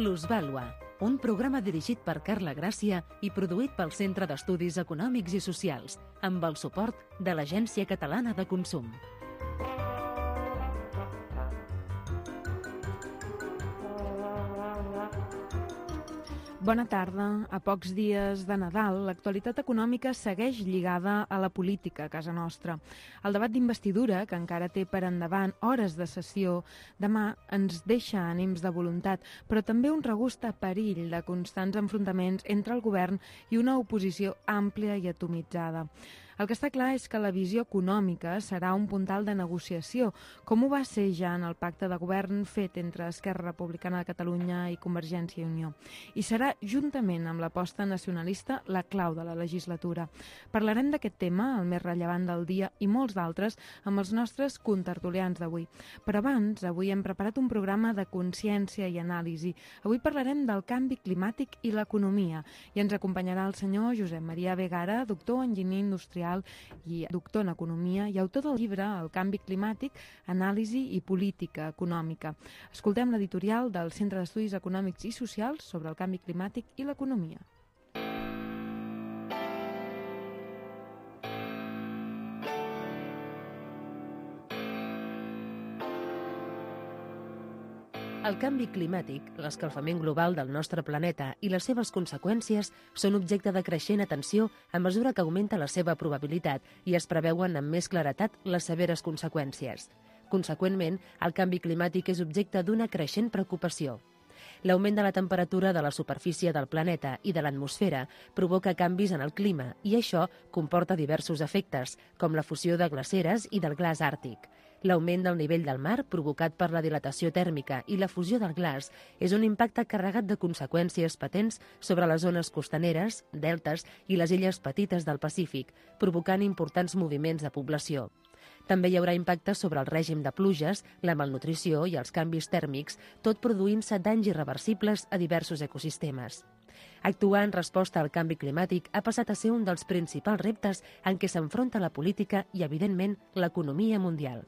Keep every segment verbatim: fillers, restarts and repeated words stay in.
Plusvàlua, un programa dirigit per Carla Gràcia i produït pel Centre d'Estudis Econòmics i Socials, amb el suport de l'Agència Catalana de Consum. Bona tarda. A pocs dies de Nadal, l'actualitat econòmica segueix lligada a la política a casa nostra. El debat d'investidura, que encara té per endavant hores de sessió, demà ens deixa ànims de voluntat, però també un regust a perill de constants enfrontaments entre el govern i una oposició àmplia i atomitzada. El que està clar és que la visió econòmica serà un puntal de negociació, com ho va ser ja en el pacte de govern fet entre Esquerra Republicana de Catalunya i Convergència i Unió. I serà, juntament amb l'aposta nacionalista, la clau de la legislatura. Parlarem d'aquest tema, el més rellevant del dia, i molts d'altres, amb els nostres contertulians d'avui. Però abans, avui hem preparat un programa de consciència i anàlisi. Avui parlarem del canvi climàtic i l'economia, i ens acompanyarà el senyor Josep Maria Vegara, doctor en enginyer industrial i doctor en economia i autor del llibre El canvi climàtic, anàlisi i política econòmica. Escoltem l'editorial del Centre d'Estudis Econòmics i Socials sobre el canvi climàtic i l'economia. El canvi climàtic, l'escalfament global del nostre planeta i les seves conseqüències són objecte de creixent atenció a mesura que augmenta la seva probabilitat i es preveuen amb més claretat les severes conseqüències. Conseqüentment, el canvi climàtic és objecte d'una creixent preocupació. L'augment de la temperatura de la superfície del planeta i de l'atmosfera provoca canvis en el clima i això comporta diversos efectes, com la fusió de glaceres i del glaç àrtic. L'augment del nivell del mar, provocat per la dilatació tèrmica i la fusió del glaç, és un impacte carregat de conseqüències patents sobre les zones costaneres, deltes i les illes petites del Pacífic, provocant importants moviments de població. També hi haurà impactes sobre el règim de pluges, la malnutrició i els canvis tèrmics, tot produint-se danys irreversibles a diversos ecosistemes. Actuar en resposta al canvi climàtic ha passat a ser un dels principals reptes en què s'enfronta la política i, evidentment, l'economia mundial.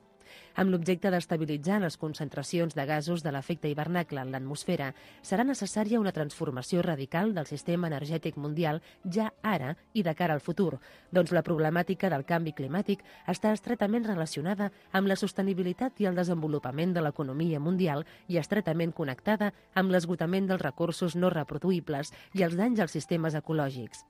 Amb l'objecte d'estabilitzar les concentracions de gasos de l'efecte hivernacle en l'atmosfera, serà necessària una transformació radical del sistema energètic mundial ja ara i de cara al futur, doncs la problemàtica del canvi climàtic està estretament relacionada amb la sostenibilitat i el desenvolupament de l'economia mundial i estretament connectada amb l'esgotament dels recursos no reproduïbles i els danys als sistemes ecològics.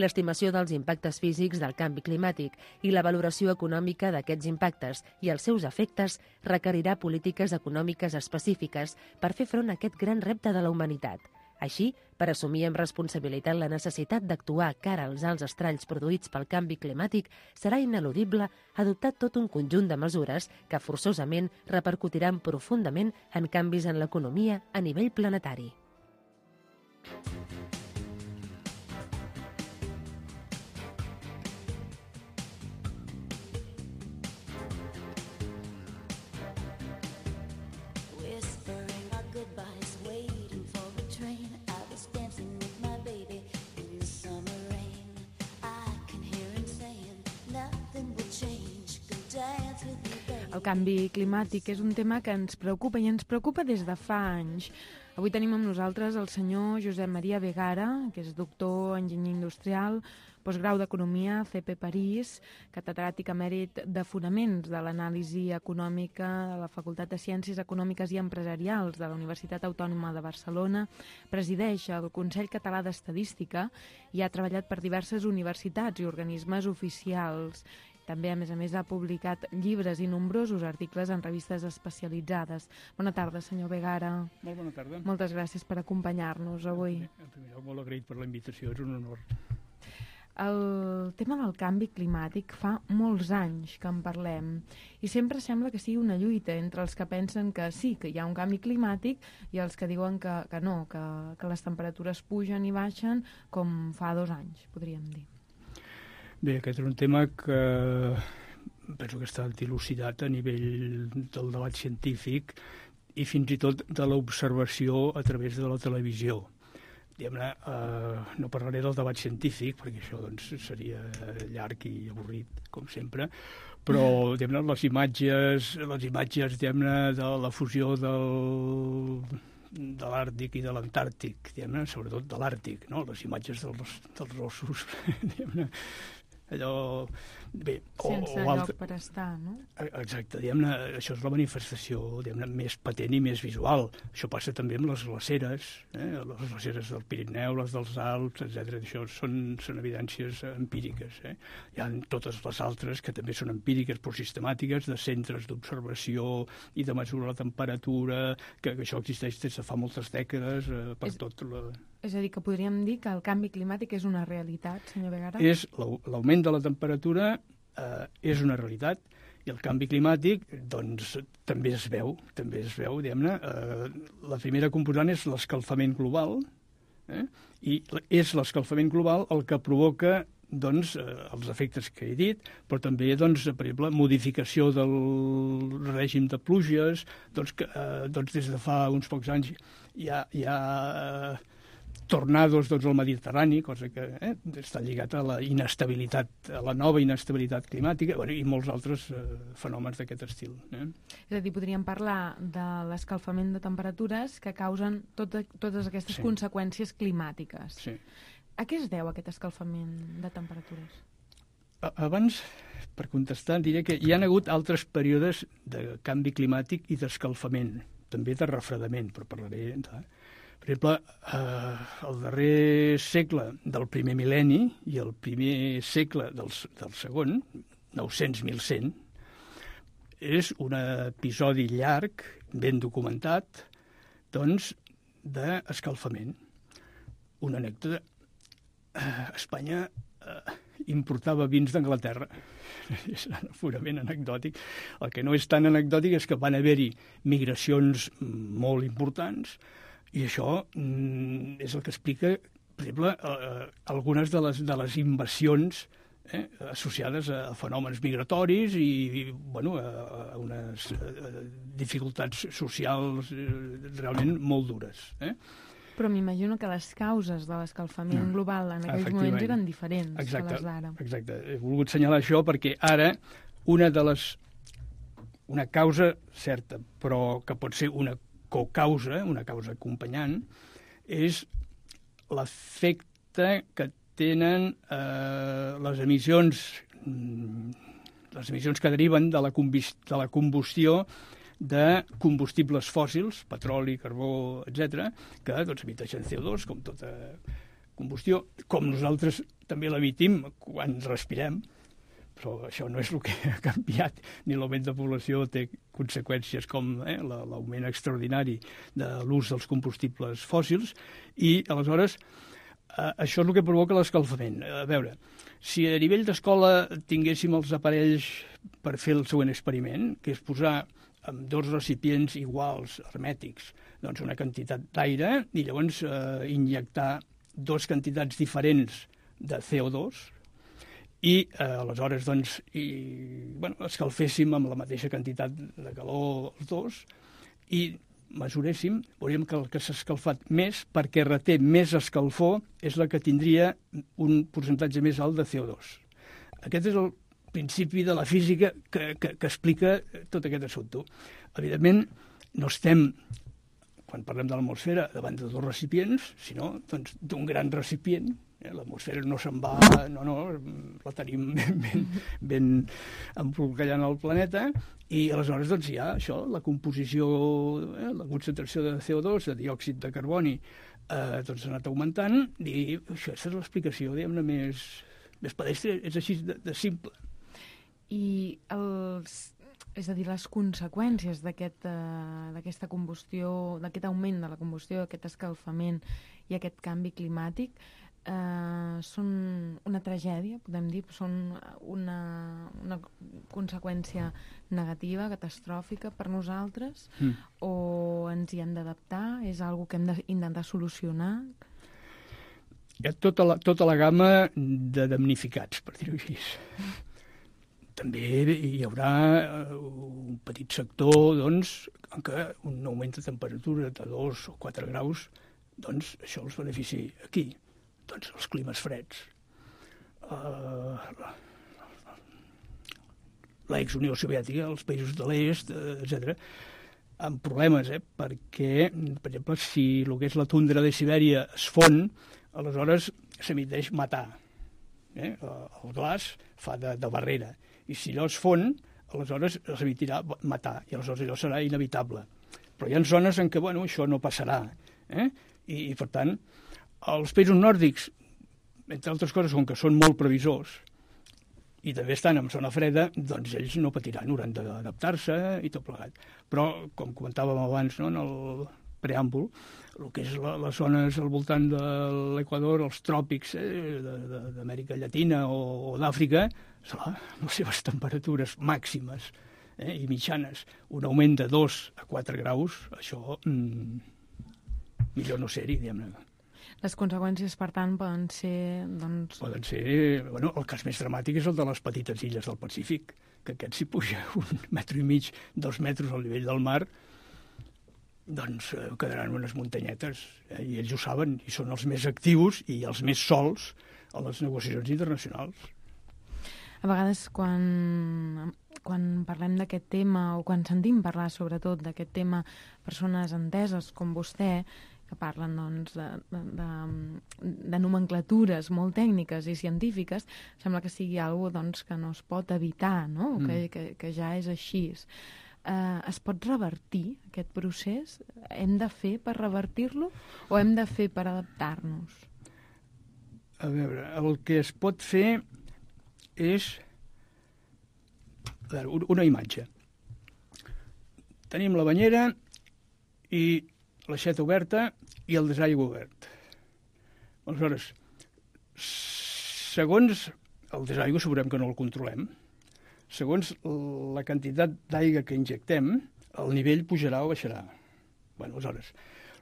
L'estimació dels impactes físics del canvi climàtic i la valoració econòmica d'aquests impactes i els seus efectes requerirà polítiques econòmiques específiques per fer front a aquest gran repte de la humanitat. Així, per assumir amb responsabilitat la necessitat d'actuar cara als alts estralls produïts pel canvi climàtic, serà ineludible adoptar tot un conjunt de mesures que forçosament repercutiran profundament en canvis en l'economia a nivell planetari. El canvi climàtic és un tema que ens preocupa i ens preocupa des de fa anys. Avui tenim amb nosaltres el senyor Josep Maria Vegara, que és doctor en enginyer industrial, postgrau d'Economia, C P París, catedràtic emèrit de Fonaments de l'Anàlisi Econòmica de la Facultat de Ciències Econòmiques i Empresarials de la Universitat Autònoma de Barcelona, presideix el Consell Català d'Estadística i ha treballat per diverses universitats i organismes oficials. També, a més a més, ha publicat llibres i nombrosos articles en revistes especialitzades. Bona tarda, senyor Vegara. Molt bona tarda. Moltes gràcies per acompanyar-nos avui. En primer lloc, molt agraït per la invitació, és un honor. El tema del canvi climàtic fa molts anys que en parlem i sempre sembla que sigui una lluita entre els que pensen que sí, que hi ha un canvi climàtic i els que diuen que, que no, que, que les temperatures pugen i baixen com fa dos anys, podríem dir. Bé, aquest és un tema que penso que està dilucidat a nivell del debat científic i fins i tot de l'observació a través de la televisió. Diguem-ne, eh, no parlaré del debat científic, perquè això doncs, seria llarg i avorrit, com sempre, però diguem-ne, les imatges, les imatges diguem-ne, de la fusió del, de l'Àrtic i de l'Antàrtic, diguem-ne, sobretot de l'Àrtic, no? Les imatges dels, dels ossos, diguem-ne, allò... Bé, o, sense o lloc altre... per estar, no? Exacte, diguem-ne, això és la manifestació, diguem-ne, més patent i més visual. Això passa també amb les glaceres, eh? Les glaceres del Pirineu, les dels Alps, etcètera. Això són, són evidències empíriques. Eh? Hi ha totes les altres que també són empíriques, però sistemàtiques, de centres d'observació i de mesurar la temperatura, que, que això existeix des de fa moltes dècades eh, per és... tot la... És a dir, que podríem dir que el canvi climàtic és una realitat, senyor Vegara? És l'augment de la temperatura eh, és una realitat i el canvi climàtic doncs, també es veu, també es veu, diguem-ne. Eh, la primera component és l'escalfament global, eh, i és l'escalfament global el que provoca doncs, eh, els efectes que he dit, però també, doncs, per exemple, modificació del règim de pluges, doncs, que, eh, doncs des de fa uns pocs anys hi ha... Hi ha eh, tornados doncs, al Mediterrani, cosa que eh, està lligat a la inestabilitat, a la nova inestabilitat climàtica, bueno, i molts altres eh, fenòmens d'aquest estil. Eh? És a dir, podríem parlar de l'escalfament de temperatures que causen tot, totes aquestes sí. conseqüències climàtiques. Sí. A què es deu aquest escalfament de temperatures? Abans, per contestar, diré que hi ha hagut altres períodes de canvi climàtic i d'escalfament, també de refredament, però parlaré... De... Per exemple, eh, el darrer segle del primer mil·lenni i el primer segle del, del segon, nou-cents mil cent, és un episodi llarg, ben documentat, doncs, d'escalfament. Una anècdota. Eh, Espanya eh, importava vins d'Anglaterra. És purament anecdòtic. El que no és tan anecdòtic és que van haver-hi migracions molt importants. I això mm, és el que explica, per exemple, eh, algunes de les, de les invasions eh, associades a, a fenòmens migratoris i, i bueno, a, a unes a dificultats socials eh, realment molt dures. Eh? Però m'imagino que les causes de l'escalfament global en aquells moments eren diferents exacte, que les d'ara. Exacte. He volgut assenyalar això perquè ara una de les... una causa certa, però que pot ser una cocausa, una causa acompanyant, és l'efecte que tenen eh, les emissions les emissions que deriven de la, de la combustió de combustibles fòssils, petroli, carbó, etcètera, que doncs, emiteixen C O dos, com tota combustió, com nosaltres també l'emitim quan respirem, però això no és el que ha canviat, ni l'augment de població té conseqüències com eh, l'augment extraordinari de l'ús dels combustibles fòssils, i aleshores eh, això és el que provoca l'escalfament. A veure, si a nivell d'escola tinguéssim els aparells per fer el següent experiment, que és posar amb dos recipients iguals, hermètics, doncs una quantitat d'aire, i llavors eh, injectar dues quantitats diferents de C O dos, i eh, aleshores doncs, i, bueno, escalféssim amb la mateixa quantitat de calor els dos i mesuréssim, veuríem que el que s'ha escalfat més, perquè reté més escalfor, és la que tindria un percentatge més alt de C O dos. Aquest és el principi de la física que, que, que explica tot aquest assumpte. Evidentment, no estem, quan parlem de l'atmosfera, davant de dos recipients, sinó doncs, d'un gran recipient. L'atmosfera no se'n va, no, no, la tenim ben, ben, ben embolcallant el planeta, i aleshores doncs, hi ha això, la composició, eh, la concentració de C O dos, de diòxid de carboni, eh, doncs ha anat augmentant, i això és l'explicació, diguem-ne, més, més pedestre, és així de, de simple. I els, és a dir, les conseqüències d'aquesta aquest, uh, combustió, d'aquest augment de la combustió, d'aquest escalfament i aquest canvi climàtic, Uh, són una tragèdia, podem dir, són una, una conseqüència negativa, catastròfica per nosaltres, mm. o ens hi hem d'adaptar? És una cosa que hem d'intentar solucionar? Hi ha tota la, tota la gamma de damnificats, per dir-ho així. Mm. També hi haurà un petit sector, doncs, en què un augment de temperatura de dos o quatre graus, doncs això els beneficia aquí. Doncs els climes freds, uh, l'ex-Unió Soviètica, els països de l'est, etcètera. amb problemes, eh? Perquè, per exemple, si el que és la tundra de Sibèria es fon, aleshores s'emiteix matar. Eh? El glaç fa de, de barrera. I si allò es fon, aleshores s'emitirà matar, i aleshores allò serà inevitable. Però hi ha zones en què, bueno, això no passarà. Eh? I, I, per tant, els països nòrdics, entre altres coses, com que són molt previsors, i també estan en zona freda, doncs ells no patiran, hauran d'adaptar-se i tot plegat. Però, com comentàvem abans, no, en el preàmbul, el que és la, les zones al voltant de l'Equador, els tròpics eh, d'Amèrica Llatina o, o d'Àfrica, les seves temperatures màximes eh, i mitjanes, un augment de dos a quatre graus, això mm, millor no ser-hi, diguem-ne. Les conseqüències, per tant, poden ser... Doncs... Poden ser... Bueno, el cas més dramàtic és el de les petites illes del Pacífic, que aquest si puja un metro i mig, dos metres al nivell del mar, doncs eh, quedaran unes muntanyetes, eh, i ells ho saben, i són els més actius i els més sols a les negociacions internacionals. A vegades, quan, quan parlem d'aquest tema, o quan sentim parlar sobretot d'aquest tema, persones enteses com vostè, que parlen doncs, de, de, de nomenclatures molt tècniques i científiques, sembla que sigui alguna doncs, que no es pot evitar, no? Mm. Que, que, que ja és així. Eh, es pot revertir aquest procés? Hem de fer per revertir-lo o hem de fer per adaptar-nos? A veure, el que es pot fer és a veure, una imatge. Tenim la banyera i l'aixeta oberta i el desaigüe obert. Aleshores, segons el desaigüe, sabrem que no el controlem, segons la quantitat d'aigua que injectem, el nivell pujarà o baixarà. Bueno, aleshores,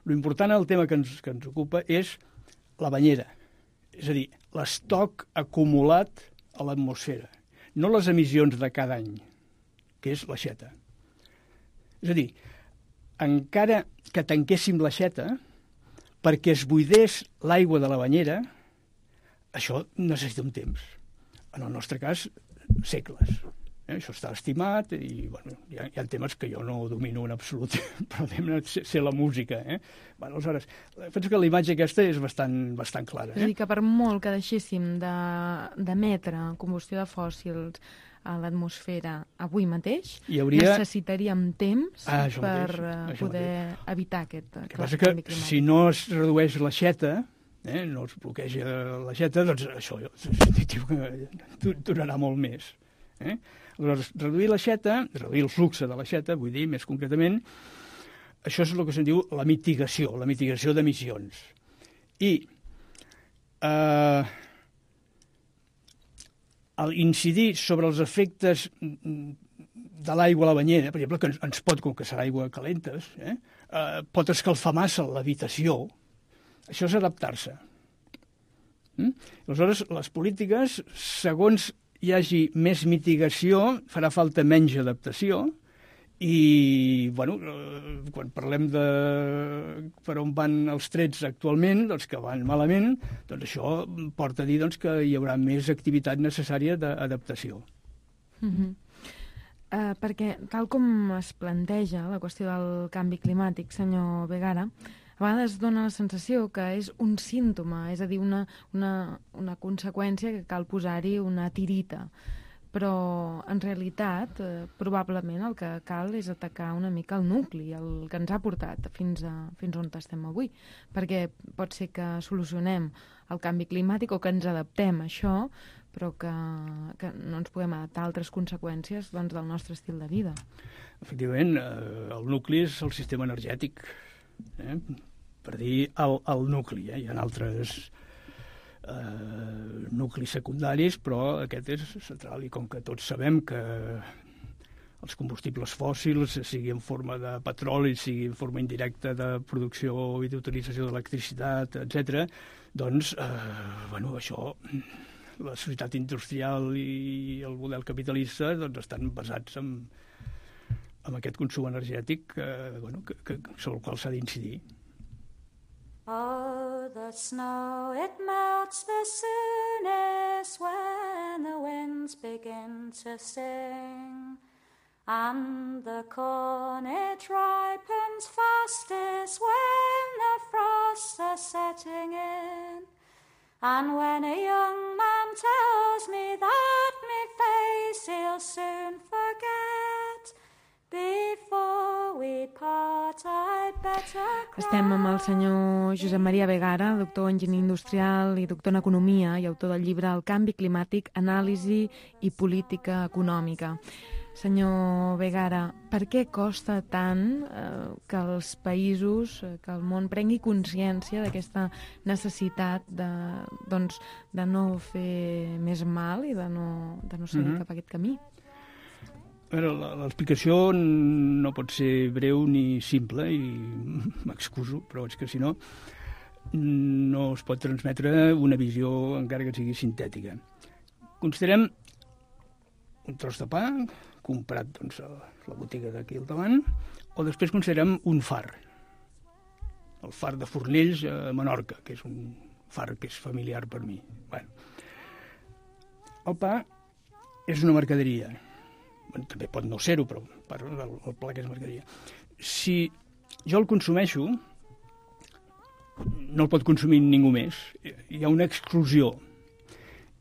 l'important al tema que ens, que ens ocupa és la banyera, és a dir, l'estoc acumulat a l'atmosfera, no les emissions de cada any, que és l'aixeta. És a dir, encara que tanquéssim l'aixeta, perquè es buidés l'aigua de la banyera, això necessita un temps. En el nostre cas, segles. Eh? Això està estimat i bueno, hi, ha, hi ha temes que jo no domino en absolut, però sé, sé la música. Eh? Bueno, aleshores, penso que la imatge aquesta és bastant, bastant clara. Eh? És a dir, que per molt que deixéssim d'emetre combustió de fòssils a l'atmosfera avui mateix, hauria... necessitaríem temps ah, per mateix, poder mateix. evitar aquest, aquest canvi climàtic. Si no es redueix l'aixeta, eh, no es bloqueja l'aixeta, doncs això durarà molt més. Eh? Aleshores, reduir l'aixeta, reduir el flux de l'aixeta, vull dir, més concretament, això és el que se'n diu la mitigació, la mitigació d'emissions. I eh, al incidir sobre els efectes de l'aigua a la banyera, per exemple, que ens, ens pot, com que serà aigua calentes, eh, eh, pot escalfar massa l'habitació, això és adaptar-se. Mm? Aleshores, les polítiques, segons hi hagi més mitigació, farà falta menys adaptació, i, bueno, quan parlem de per on van els trets actualment, doncs que van malament, doncs això porta a dir doncs, que hi haurà més activitat necessària d'adaptació. Mm-hmm. uh, perquè, tal com es planteja la qüestió del canvi climàtic, senyor Vegara, a vegades dona la sensació que és un símptoma, és a dir, una, una, una conseqüència que cal posar-hi una tirita. Però, en realitat, eh, probablement el que cal és atacar una mica el nucli, el que ens ha portat fins, a, fins on estem avui. Perquè pot ser que solucionem el canvi climàtic o que ens adaptem a això, però que, que no ens puguem adaptar a altres conseqüències doncs, del nostre estil de vida. Efectivament, eh, el nucli és el sistema energètic, eh? Per dir el, el nucli. Eh? Hi ha altres... Uh, nuclis secundaris, però aquest és central, i com que tots sabem que els combustibles fòssils, sigui en forma de petroli, sigui en forma indirecta de producció i d'utilització d'electricitat, etcètera, doncs, uh, bueno, això, la societat industrial i el model capitalista doncs, estan basats en, en aquest consum energètic uh, bueno, que, que, sobre el qual s'ha d'incidir. Oh, the snow, it melts the soonest when the winds begin to sing. and the corn it ripens fastest when the frosts are setting in. And when a young man tells me that me face he'll soon forget, before we part I'd better cry. Estem amb el senyor Josep Maria Vegara, doctor en enginyeria industrial i doctor en economia i autor del llibre El canvi climàtic, anàlisi i política econòmica. Senyor Vegara, per què costa tant eh, que els països, eh, que el món prengui consciència d'aquesta necessitat de, doncs, de no fer més mal i de no, de no seguir mm-hmm. cap a aquest camí? L'explicació no pot ser breu ni simple i m'excuso, però és que si no no es pot transmetre una visió encara que sigui sintètica. Considerem un tros de pa comprat doncs, a la botiga d'aquí al davant, o després considerem un far, el far de Fornells a Menorca, que és un far que és familiar per mi. Bueno, el pa és una mercaderia. Bueno, també pot no ser-ho, però parlo del, del pla que és mercaderia. Si jo el consumeixo, no el pot consumir ningú més. Hi ha una exclusió.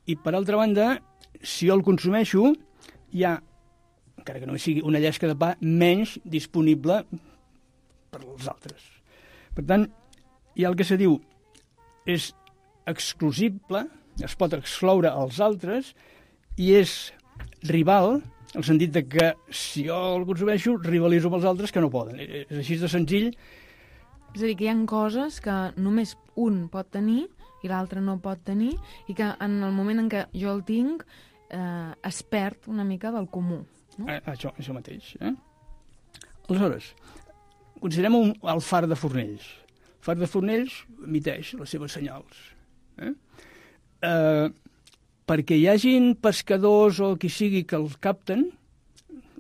I, per altra banda, si jo el consumeixo, hi ha, encara que no sigui una llesca de pa, menys disponible per als altres. Per tant, hi ha el que se diu és exclusible, es pot excloure als altres, i és rival, en el sentit de que si jo el consumeixo, rivalitzo amb els altres que no poden. És així de senzill. És a dir, que hi ha coses que només un pot tenir i l'altre no pot tenir, i que en el moment en què jo el tinc eh, es perd una mica del comú. No? Eh, això, això mateix. Eh? Aleshores, considerem un, el far de Fornells. El far de Fornells emiteix les seves senyals. Eh? Eh, perquè hi hagin pescadors o qui sigui que els capten,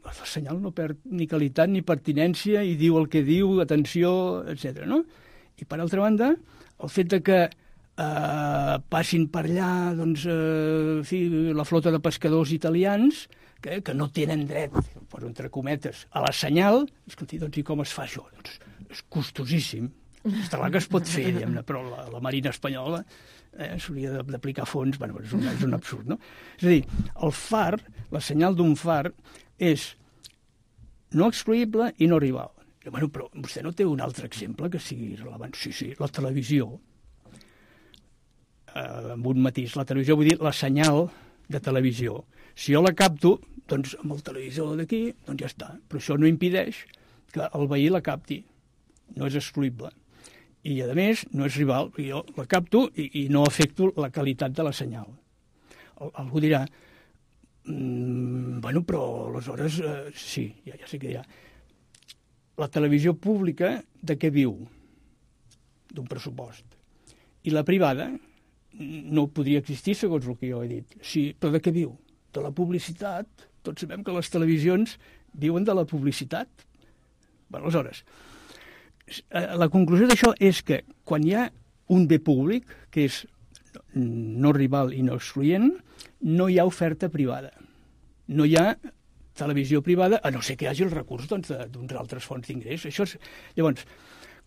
el senyal no perd ni qualitat ni pertinència i diu el que diu, atenció, etcètera. No? I per altra banda, el fet de que eh, passin per allà doncs, eh, fi, la flota de pescadors italians que, que no tenen dret, per entre cometes, a la senyal, escolti, doncs i com es fa això? Doncs és costosíssim. Està clar que es pot fer, diguem-ne, però la, la Marina espanyola eh, s'hauria d'aplicar fons, bueno, és un, és un absurd, no? És a dir, el far, la senyal d'un far, és no excluïble i no rival. I, bueno, però vostè no té un altre exemple que sigui relevant? Sí, sí, la televisió. Eh, amb un matís. La televisió vull dir la senyal de televisió. Si jo la capto, doncs amb el televisor d'aquí, doncs ja està. Però això no impedeix que el veí la capti. No és excluïble. I, a més, no és rival. Jo la capto i, i no afecto la qualitat de la senyal. Al, algú dirà, mm, bueno, però aleshores, eh, sí, ja, ja sé que hi ha. La televisió pública de què viu? D'un pressupost. I la privada no podria existir, segons el que jo he dit. Sí, però de què viu? De la publicitat. Tots sabem que les televisions viuen de la publicitat. Bé, aleshores, la conclusió d'això és que quan hi ha un bé públic, que és no rival i no excloent, no hi ha oferta privada. No hi ha televisió privada, a no ser que hi hagi el recurs doncs, d'uns altres fonts d'ingrés. Això és... Llavors,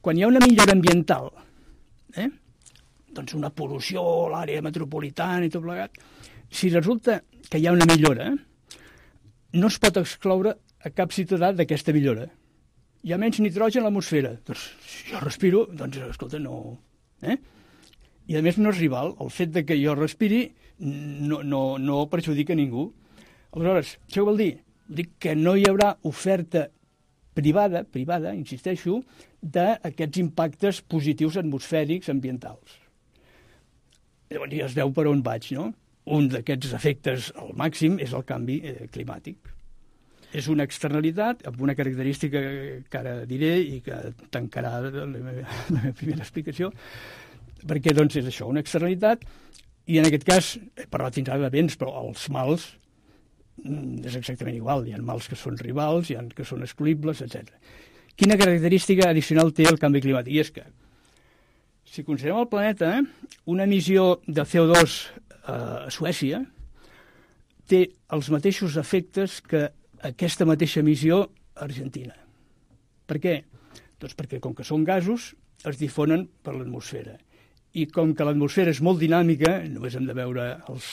quan hi ha una millora ambiental, eh? doncs una pol·lució a l'àrea metropolitana i tot plegat, si resulta que hi ha una millora, no es pot excloure a cap ciutadà d'aquesta millora. Hi ha menys nitrogen a l'atmosfera. Doncs si jo respiro, doncs, escolta, no... Eh? I a més no és rival. El fet de que jo respiri no, no, no perjudica ningú. Aleshores, això vol dir? Dic que no hi haurà oferta privada, privada, insisteixo, d'aquests impactes positius atmosfèrics ambientals. Llavors ja es veu per on vaig, no? Un d'aquests efectes al màxim és el canvi eh, climàtic. És una externalitat amb una característica que ara diré i que tancarà la meva, la meva primera explicació, perquè doncs, és això, una externalitat, i en aquest cas, he parlat fins ara de béns, però els mals és exactament igual. Hi ha mals que són rivals, hi ha que són excluïbles, etcètera. Quina característica addicional té el canvi climàtic? I és que, si considerem el planeta, una emissió de C O dos a Suècia té els mateixos efectes que aquesta mateixa emissió a Argentina. Per què? Doncs perquè com que són gasos es difonen per l'atmosfera. I com que l'atmosfera és molt dinàmica, només hem de veure els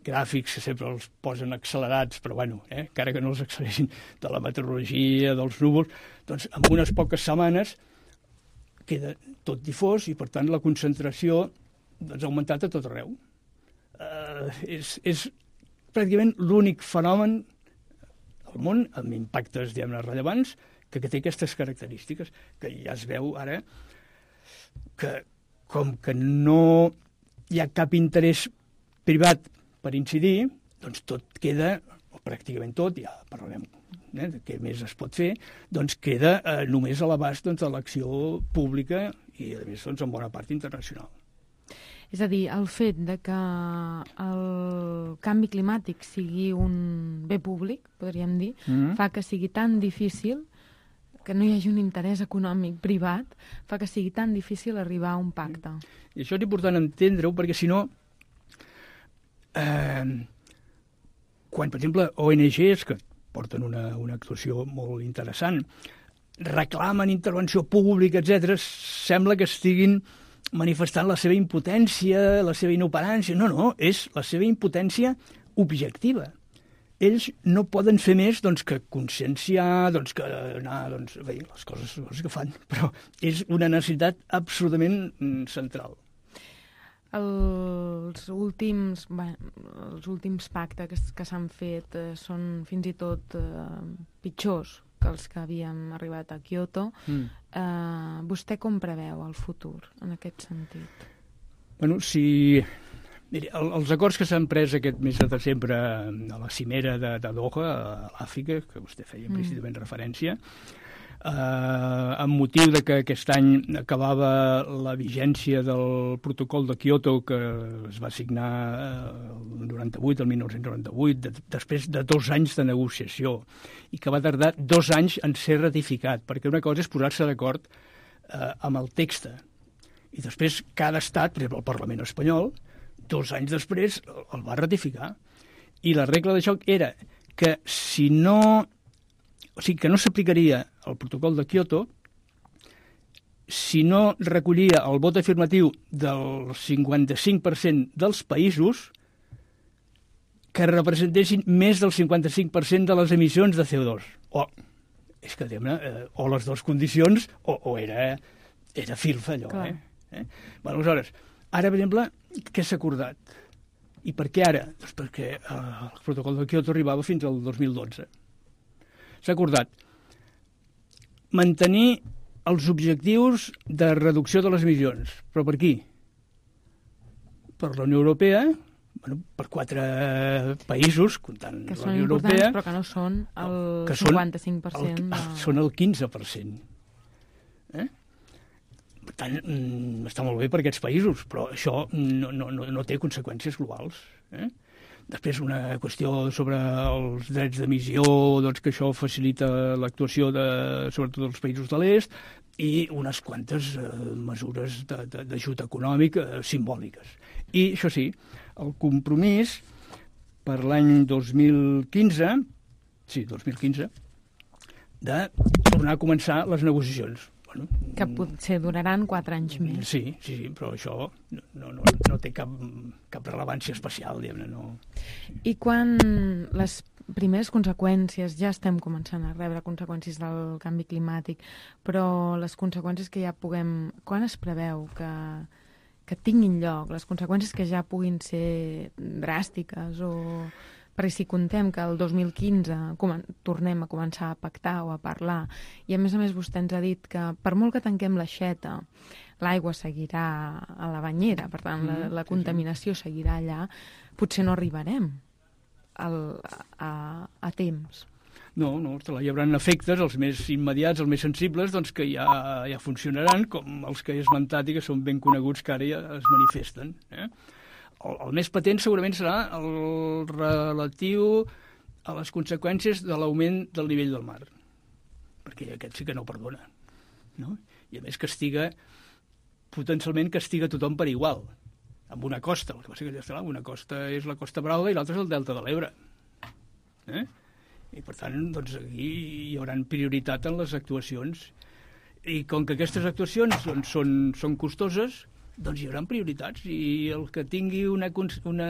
gràfics que sempre els posen accelerats, però bueno, eh, encara que no els accelerin de la meteorologia, dels núvols, doncs en unes poques setmanes queda tot difós i per tant la concentració doncs, ha augmentat a tot arreu. Uh, és, és pràcticament l'únic fenomen al món amb impactes, diguem-ne, rellevants que, que té aquestes característiques, que ja es veu ara que com que no hi ha cap interès privat per incidir, doncs tot queda, o pràcticament tot, ja parlarem eh, de què més es pot fer, doncs queda eh, només a l'abast doncs, de l'acció pública i, a més, doncs, en bona part internacional. És a dir, el fet de que el canvi climàtic sigui un bé públic, podríem dir, mm-hmm. fa que sigui tan difícil, que no hi hagi un interès econòmic privat, fa que sigui tan difícil arribar a un pacte. I això és important entendre-ho, perquè si no, eh, quan, per exemple, O N Ges, que porten una, una actuació molt interessant, reclamen intervenció pública, etcètera, sembla que estiguin manifestant la seva impotència, la seva inoperància. No, no, és la seva impotència objectiva. Ells no poden fer més doncs, que conscienciar, doncs, que anar, doncs, bé, les coses, les coses que fan, però és una necessitat absolutament central. Els últims, bé, els últims pactes que, que s'han fet eh, són fins i tot eh, pitjors que els que havíem arribat a Kyoto. Mm. Eh, vostè com preveu el futur en aquest sentit? Bueno, si... Miri, el, els acords que s'han pres aquest mes de desembre a la cimera de, de Doha, a l'Àfrica, que vostè feia implícitament mm. referència, eh, amb motiu de que aquest any acabava la vigència del protocol de Kyoto que es va signar el noranta-vuit, el dinou noranta-vuit, de, després de dos anys de negociació, i que va tardar dos anys en ser ratificat, perquè una cosa és posar-se d'acord eh, amb el text, i després cada estat, per exemple el Parlament espanyol, dos anys després el va ratificar. I la regla de joc era que si no... O sigui, que no s'aplicaria el protocol de Kyoto si no recollia el vot afirmatiu del cinquanta-cinc per cent dels països que representessin més del cinquanta-cinc per cent de les emissions de C O dos. O, és que, diguem-ne, eh, o les dues condicions o, o era, era filfa, allò. Eh? Eh? Bueno, aleshores, ara, per exemple, què s'ha acordat? I per què ara? Doncs perquè eh, el protocol de Kyoto arribava fins al dos mil dotze. S'ha acordat mantenir els objectius de reducció de les emissions. Però per qui? Per la Unió Europea, bueno, per quatre països, comptant que la Unió Europea... Que són importants, però que no són el que cinquanta-cinc per cent. El, de... Són el quinze per cent. Eh? Per tant, està molt bé per aquests països, però això no, no, no té conseqüències globals. Eh? Després, una qüestió sobre els drets d'emissió, doncs que això facilita l'actuació de, sobretot dels països de l'est, i unes quantes eh, mesures d'ajut econòmic eh, simbòliques. I, això sí, el compromís per l'any dos mil quinze, sí, dos mil quinze, de tornar a començar les negociacions. Bueno, que potser duraran quatre anys més. Sí, sí, sí, però això no, no, no té cap, cap rellevància especial, diguem-ne. No. I quan les primeres conseqüències, ja estem començant a rebre conseqüències del canvi climàtic, però les conseqüències que ja puguem... Quan es preveu que, que tinguin lloc, les conseqüències que ja puguin ser dràstiques o... Perquè si contem que el dos mil quinze tornem a començar a pactar o a parlar, i a més a més vostè ens ha dit que per molt que tanquem l'aixeta, l'aigua seguirà a la banyera, per tant la, la contaminació seguirà allà, potser no arribarem al, a, a temps. No, no, hi haurà efectes, els més immediats, els més sensibles, doncs que ja, ja funcionaran, com els que he esmentat i que són ben coneguts, que ara ja es manifesten, eh? El, el més patent segurament serà el relatiu a les conseqüències de l'augment del nivell del mar, perquè aquest sí que no perdona, no? I a més castiga, potencialment castiga tothom per igual, amb una costa, el que passa que ja està, una costa és la Costa Brava i l'altra és el Delta de l'Ebre. Eh? I, per tant, doncs, aquí hi haurà prioritat en les actuacions. I com que aquestes actuacions doncs, són, són costoses, doncs hi haurà prioritats. I el que tingui una, una,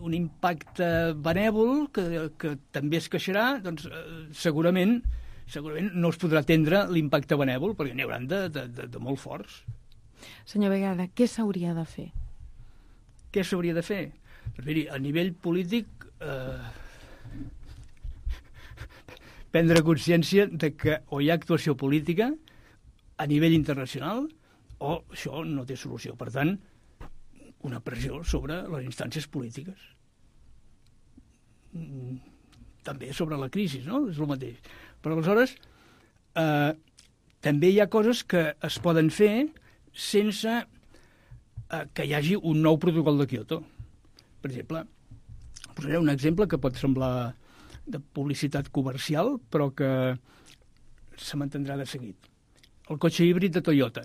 un impacte benèvol, que, que també es queixarà, doncs eh, segurament, segurament no es podrà atendre l'impacte benèvol, perquè n'hi hauran de, de, de, de molt forts. Senyor Vegada, què s'hauria de fer? Què s'hauria de fer? Doncs miri, a nivell polític... Eh, prendre consciència de que o hi ha actuació política a nivell internacional o això no té solució. Per tant, una pressió sobre les instàncies polítiques. També sobre la crisi, no? És el mateix. Però aleshores, eh, també hi ha coses que es poden fer sense eh, que hi hagi un nou protocol de Kyoto. Per exemple, posaré un exemple que pot semblar de publicitat comercial, però que se m'entendrà de seguit. El cotxe híbrid de Toyota,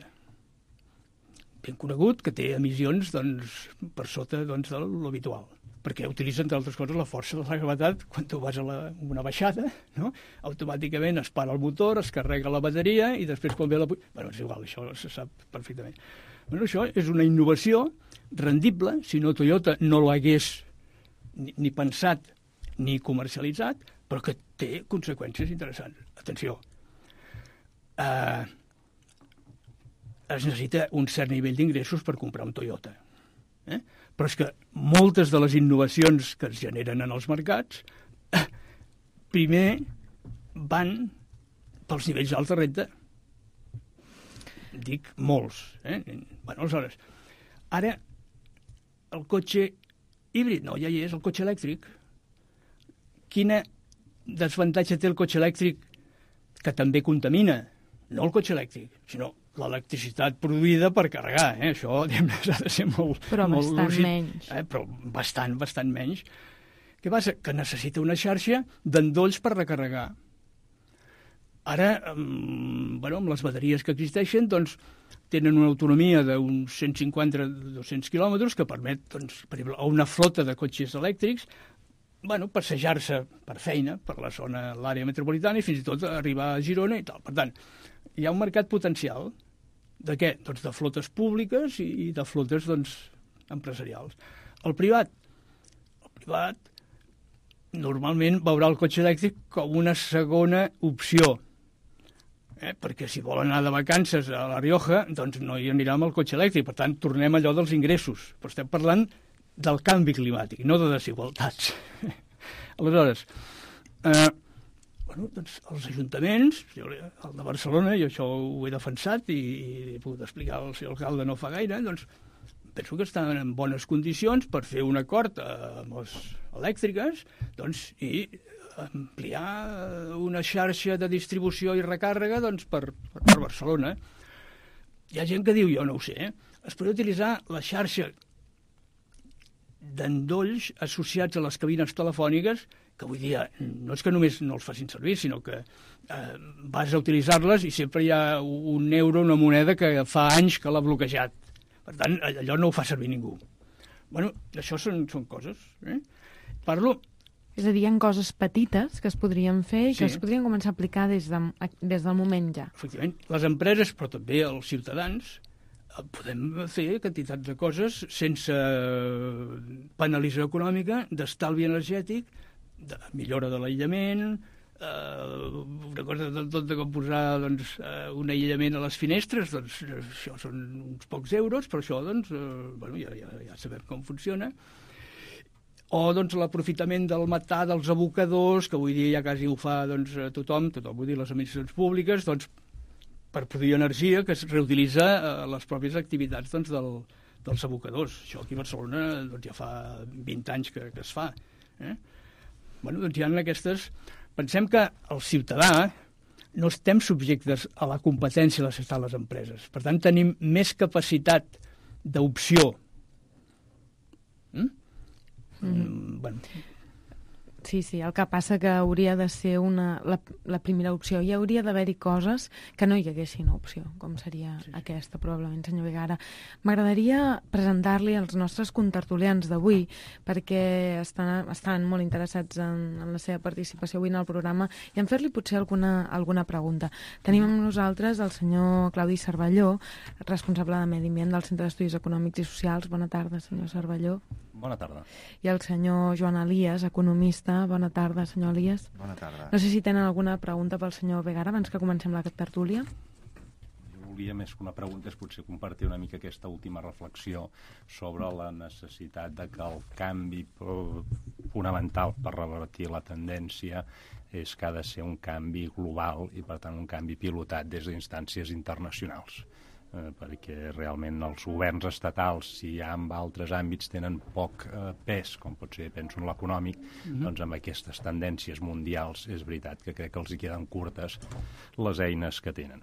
ben conegut, que té emissions doncs, per sota doncs, de l'habitual, perquè utilitza, entre altres coses, la força de la gravetat. Quan tu vas a la, una baixada, no? Automàticament es para el motor, es carrega la bateria i després quan ve la... Bueno, és igual, això se sap perfectament. Bueno, això és una innovació rendible, si no Toyota no l'hagués ni, ni pensat ni comercialitzat, però que té conseqüències interessants. Atenció, eh, es necessita un cert nivell d'ingressos per comprar un Toyota. Eh? Però és que moltes de les innovacions que es generen en els mercats eh, primer van pels nivells alts de renda. Dic molts. Eh? Bueno, aleshores, ara el cotxe híbrid, no, ja hi és, el cotxe elèctric. Quina desavantatge té el cotxe elèctric, que també contamina? No el cotxe elèctric, sinó l'electricitat produïda per carregar. Eh? Això s'ha de ser molt... Però molt bastant lúcid, menys. Eh? Però bastant, bastant menys. Què passa? Que necessita una xarxa d'endolls per recarregar. Ara, um, bueno, amb les bateries que existeixen, doncs, tenen una autonomia d'uns cent cinquanta a dos-cents quilòmetres que permet, doncs, per exemple, a una flota de cotxes elèctrics bueno, passejar-se per feina, per la zona, l'àrea metropolitana i fins i tot arribar a Girona i tal. Per tant, hi ha un mercat potencial de què? Doncs de flotes públiques i de flotes doncs, empresarials. El privat, el privat normalment veurà el cotxe elèctric com una segona opció, eh? perquè si vol anar de vacances a La Rioja, doncs no hi anirà amb el cotxe elèctric. Per tant, tornem a allò dels ingressos. Però estem parlant del canvi climàtic, no de desigualtats. Aleshores, eh, bueno, doncs els ajuntaments, el de Barcelona, jo això ho he defensat i, i he pogut explicar al senyor alcalde no fa gaire, doncs penso que estan en bones condicions per fer un acord amb les elèctriques doncs, i ampliar una xarxa de distribució i recàrrega doncs, per, per Barcelona. Hi ha gent que diu, jo no ho sé, eh? es pot utilitzar la xarxa d'endolls associats a les cabines telefòniques, que avui dia no és que només no els facin servir, sinó que eh, vas a utilitzar-les i sempre hi ha un euro, una moneda que fa anys que l'ha bloquejat. Per tant, allò no ho fa servir ningú. Bueno, això són, són coses. Eh? Parlo... És a dir, hi ha coses petites que es podrien fer i que sí. es podrien començar a aplicar des, de, des del moment ja. Efectivament, les empreses, però també els ciutadans, podem fer quantitats de coses sense penalització econòmica, d'estalvi energètic, de millora de l'aïllament, eh, una cosa de tot de com posar doncs, un aïllament a les finestres, doncs això són uns pocs euros, però això doncs, eh, bueno, ja, ja, ja sabem com funciona. O doncs, l'aprofitament del metà dels abocadors, que avui dia ja quasi ho fa doncs, tothom, tothom vull dir les administracions públiques, doncs, per produir energia que es reutilitza a les pròpies activitats doncs, del, dels abocadors. Això aquí a Barcelona doncs, ja fa vint anys que, que es fa. Eh? Bueno, doncs hi ha aquestes... Pensem que el ciutadà no estem subjectes a la competència de les, les empreses. Per tant, tenim més capacitat d'opció. Mm? Mm-hmm. Mm, bueno. Sí, sí, el que passa que hauria de ser una, la, la primera opció. Hi hauria d'haver-hi coses que no hi haguessin opció, com seria sí, sí. aquesta, probablement, senyor Vegara. M'agradaria presentar-li els nostres contertulians d'avui, perquè estan, estan molt interessats en, en la seva participació avui en el programa i en fer-li potser alguna, alguna pregunta. Tenim amb nosaltres el senyor Claudi Cervelló, responsable de Medi Ambient del Centre d'Estudis Econòmics i Socials. Bona tarda, senyor Cervelló. Bona tarda. I el senyor Joan Elias, economista. Bona tarda, senyor Elias. Bona tarda. No sé si tenen alguna pregunta pel senyor Vegara abans que comencem la tertúlia. Jo volia, més que una pregunta, és potser compartir una mica aquesta última reflexió sobre la necessitat de que el canvi fonamental per revertir la tendència és que ha de ser un canvi global i, per tant, un canvi pilotat des d'instàncies internacionals. Eh, perquè realment els governs estatals, si ja en altres àmbits tenen poc eh, pes, com pot ser, penso en l'econòmic, mm-hmm. doncs amb aquestes tendències mundials és veritat que crec que els hi queden curtes les eines que tenen.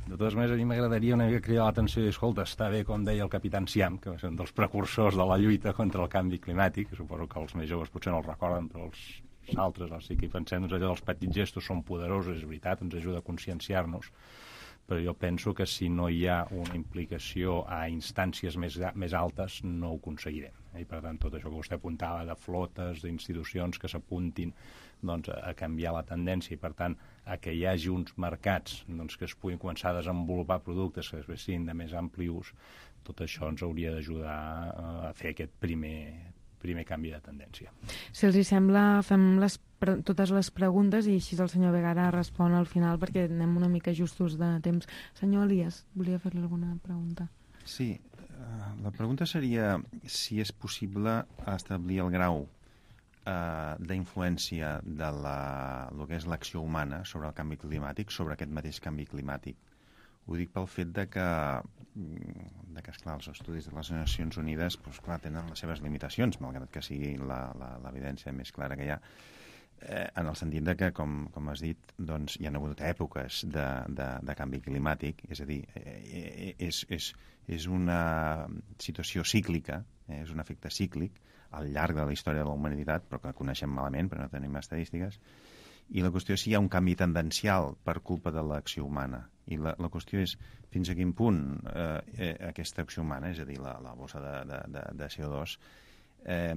De totes maneres, a mi m'agradaria una mica cridar l'atenció i dir, escolta, està bé, com deia el capità Enciam, que va ser un dels precursors de la lluita contra el canvi climàtic, que suposo que els més joves potser no el recorden, però els altres, els sí que hi pensem, doncs allò dels petits gestos són poderosos, és veritat, ens ajuda a conscienciar-nos, però jo penso que si no hi ha una implicació a instàncies més, més altes no ho aconseguirem. I per tant, tot això que vostè apuntava de flotes, d'institucions que s'apuntin doncs, a canviar la tendència i per tant a que hi hagi uns mercats doncs, que es puguin començar a desenvolupar productes que després siguin de més ampli ús, tot això ens hauria d'ajudar a fer aquest primer primer canvi de tendència. Si els hi sembla, fem les, totes les preguntes i així el senyor Vegara respon al final perquè anem una mica justos de temps. Senyor Elias, volia fer-li alguna pregunta? Sí, uh, la pregunta seria si és possible establir el grau uh, d'influència de la, el que és l'acció humana sobre el canvi climàtic, sobre aquest mateix canvi climàtic. Ho dic pel fet de que, de que esclar, els estudis de les Nacions Unides doncs, clar, tenen les seves limitacions, malgrat que sigui l'evidència més clara que hi ha, eh, en el sentit de que, com, com has dit, doncs, hi ha hagut èpoques de, de, de canvi climàtic, és a dir, eh, és, és, és una situació cíclica, eh, és un efecte cíclic al llarg de la història de la humanitat, però que coneixem malament, però no tenim estadístiques, i la qüestió és si hi ha un canvi tendencial per culpa de l'acció humana. I la, la qüestió és fins a quin punt eh, eh, aquesta acció humana, és a dir, la, la bossa de, de, de, de C O dos, eh,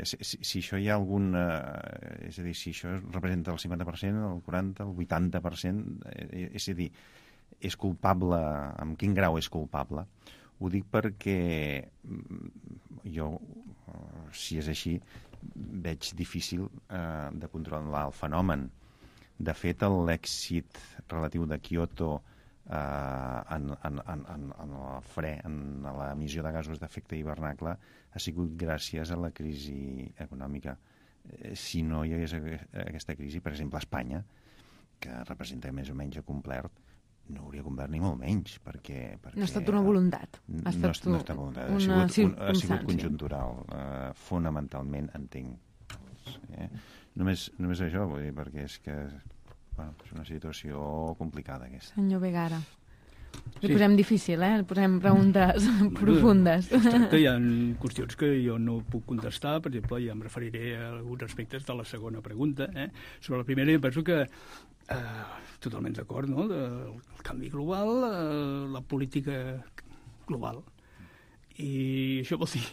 si, si això hi ha algun... Eh, és a dir, si això representa el cinquanta per cent, el quaranta per cent, el vuitanta per cent, eh, és a dir, és culpable, en quin grau és culpable? Ho dic perquè jo, si és així, veig difícil eh, de controlar el fenomen. De fet, l'èxit relatiu de Kyoto eh, en, en, en, en el fre, en l'emissió de gasos d'efecte hivernacle, ha sigut gràcies a la crisi econòmica. Eh, si no hi hagués aquesta crisi, per exemple, a Espanya, que representa més o menys a complert, no hauria complert ni molt menys, perquè... perquè no ha estat una voluntat. Ha estat no, no ha estat voluntat, ha sigut, un, ha sigut conjuntural. Uh, fonamentalment, entenc. Eh? Només, només això, vull dir, perquè és que bueno, és una situació complicada, aquesta. Senyor Vegara. Li sí. posem difícil, eh? Li posem preguntes bueno, profundes. Exacte, hi ha qüestions que jo no puc contestar, per exemple, ja em referiré a alguns aspectes de la segona pregunta. Eh? Sobre la primera, jo penso que eh, totalment d'acord, no? El canvi global, eh, la política global. I això vol dir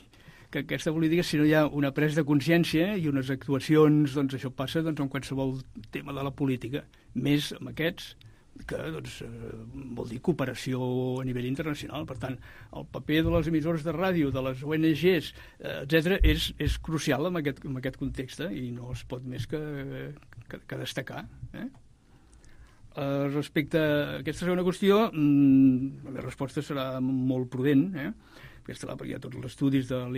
que aquesta política, si no hi ha una presa de consciència i unes actuacions, doncs això passa doncs, en qualsevol tema de la política, més amb aquests, que doncs, eh, vol dir cooperació a nivell internacional. Per tant, el paper de les emissores de ràdio, de les O N Ges, eh, etcètera, és, és crucial en aquest, en aquest context i no es pot més que, que, que destacar. Eh? Eh, respecte a aquesta segona qüestió, mmm, la meva resposta serà molt prudent, eh? Aquesta la, perquè hi ha tots els estudis del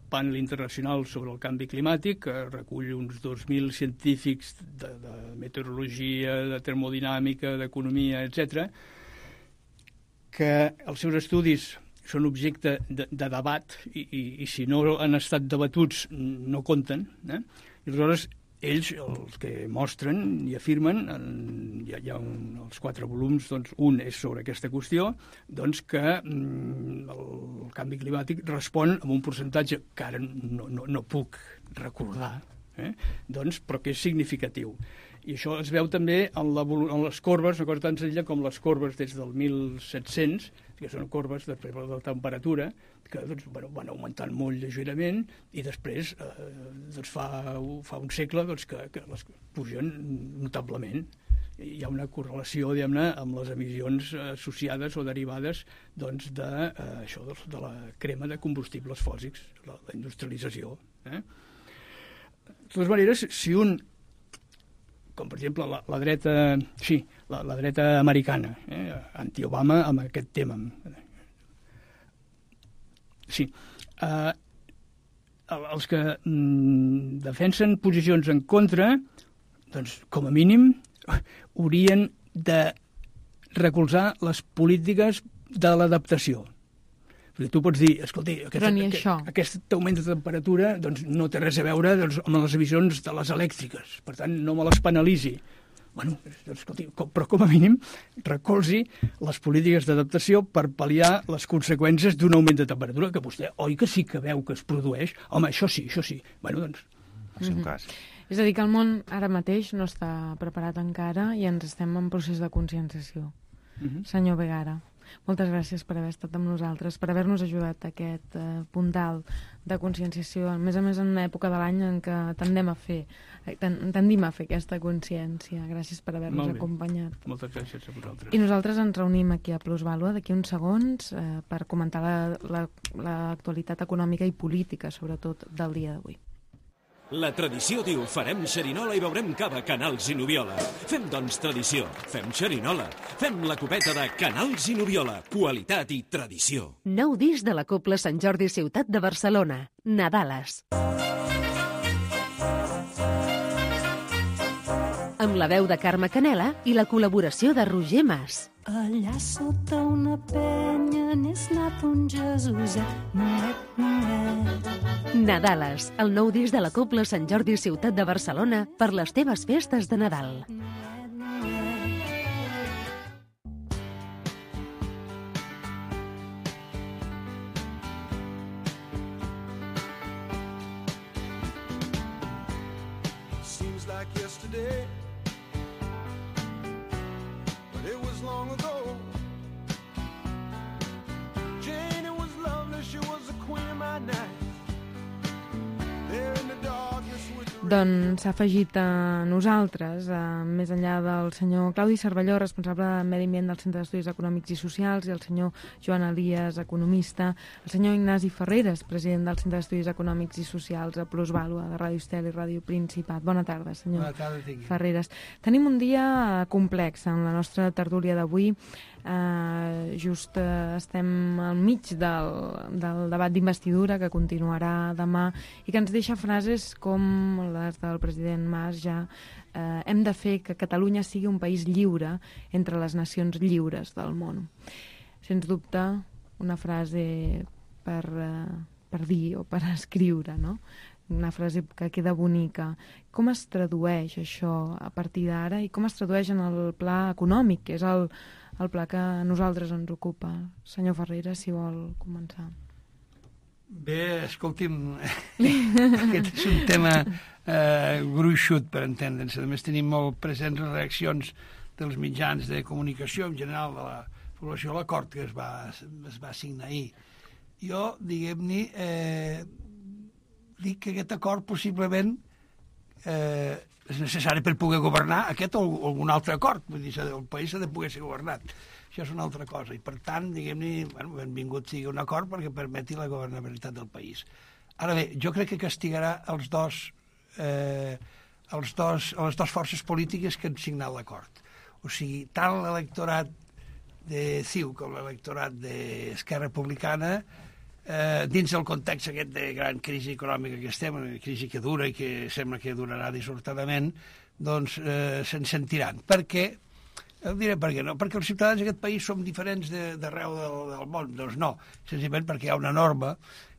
panel internacional sobre el canvi climàtic, que recull uns dos mil científics de, de meteorologia, de termodinàmica, d'economia, etcètera, que els seus estudis són objecte de, de debat i, i, i si no han estat debatuts no compten. Eh? I aleshores ells, els que mostren i afirmen, en, hi ha, hi ha un, els quatre volums, doncs, un és sobre aquesta qüestió, doncs que mm, el, el canvi climàtic respon amb un percentatge que ara no, no, no puc recordar, eh? doncs, però que és significatiu. I això es veu també en, la, en les corbes, una cosa tan senzilla com les corbes des del mil set-cents, que són corbes després de la temperatura, que doncs, bueno, van augmentant molt lleugerament i després eh, doncs fa, fa un segle doncs, que, que les pugen notablement. Hi ha una correlació, diguem-ne, amb les emissions associades o derivades doncs, de, eh, això, de la crema de combustibles fòssils, la, la industrialització. Eh? De totes maneres, si un, com per exemple la, la dreta, sí, la, la dreta americana, eh, anti-Obama amb aquest tema. Sí, eh, els que mm, defensen posicions en contra, doncs, com a mínim, haurien de recolzar les polítiques de l'adaptació. Perquè tu pots dir, escolti, aquest, aquest, aquest augment de temperatura doncs, no té res a veure doncs, amb les emissions de les elèctriques, per tant no me les penalitzi. Bueno, doncs, escolti, com, però com a mínim recolzi les polítiques d'adaptació per pal·liar les conseqüències d'un augment de temperatura que vostè, oi que sí que veu que es produeix? Home, això sí, això sí. Bueno, doncs... El seu cas. És a dir, que el món ara mateix no està preparat encara i ens estem en procés de conscienciació. Uh-huh. Senyor Vegara, moltes gràcies per haver estat amb nosaltres, per haver-nos ajudat a aquest eh, puntal de conscienciació, a més a més en una època de l'any en què tendem a fer, tendim a fer aquesta consciència. Gràcies per haver-nos acompanyat. Moltes gràcies a vosaltres. I nosaltres ens reunim aquí a Plusvàlua d'aquí uns segons eh, per comentar l'actualitat econòmica i política, sobretot, del dia d'avui. La tradició diu, farem xerinola i beurem cava, Canals i Nubiola. Fem, doncs, tradició. Fem xerinola. Fem la copeta de Canals i Nubiola. Qualitat i tradició. Nou disc de la Cobla Sant Jordi Ciutat de Barcelona. Nadales. Amb la veu de Carme Canela i la col·laboració de Roger Mas. Allà sota una penya n'és nat un Jesuset, nuet, nuet. Nadales, el nou disc de la Cobla Sant Jordi Ciutat de Barcelona per les teves festes de Nadal. Seems like yesterday, but it was long ago. Jane, it was lovely, she was the queen of my night. Doncs s'ha afegit a nosaltres, a, més enllà del senyor Claudi Cervelló, responsable de Medi Ambient del Centre d'Estudis Econòmics i Socials, i el senyor Joan Elias, economista, el senyor Ignasi Ferreres, president del Centre d'Estudis Econòmics i Socials a Plusvàlua, de Ràdio Estel i Ràdio Principat. Bona tarda, senyor Bona tarda, Ferreres. Tenim un dia complex en la nostra tertúlia d'avui. Uh, just uh, estem al mig del, del debat d'investidura que continuarà demà i que ens deixa frases com les del president Mas ja uh, hem de fer que Catalunya sigui un país lliure entre les nacions lliures del món. Sens dubte una frase per, uh, per dir o per escriure, no? Una frase que queda bonica. Com es tradueix això a partir d'ara i com es tradueix en el pla econòmic, que és el el pla que a nosaltres ens ocupa? Senyor Ferreira, si vol començar. Bé, escolti'm, aquest és un tema eh, gruixut, per entendre'ns. A més, tenim molt presents les reaccions dels mitjans de comunicació, en general, de la població a l'acord que es va, es va signar ahir. Jo, diguem-ne, eh, dic que aquest acord possiblement eh, és necessari per poder governar aquest o algun altre acord. Vull dir, el país s'ha de poder ser governat. Això és una altra cosa. I, per tant, diguem-ne, bueno, benvingut sigui un acord perquè permeti la governabilitat del país. Ara bé, jo crec que castigarà els dos, eh, els dos, les dues forces polítiques que han signat l'acord. O sigui, tant l'electorat de C I U com l'electorat d'Esquerra Republicana, Eh, dins del context aquest de gran crisi econòmica que estem, una crisi que dura i que sembla que durarà dissortadament, doncs eh, se'n sentiran. Per què? Eh, diré per què no. Perquè els ciutadans d'aquest país som diferents d'arreu del, del món. Doncs no, senzillament perquè hi ha una norma,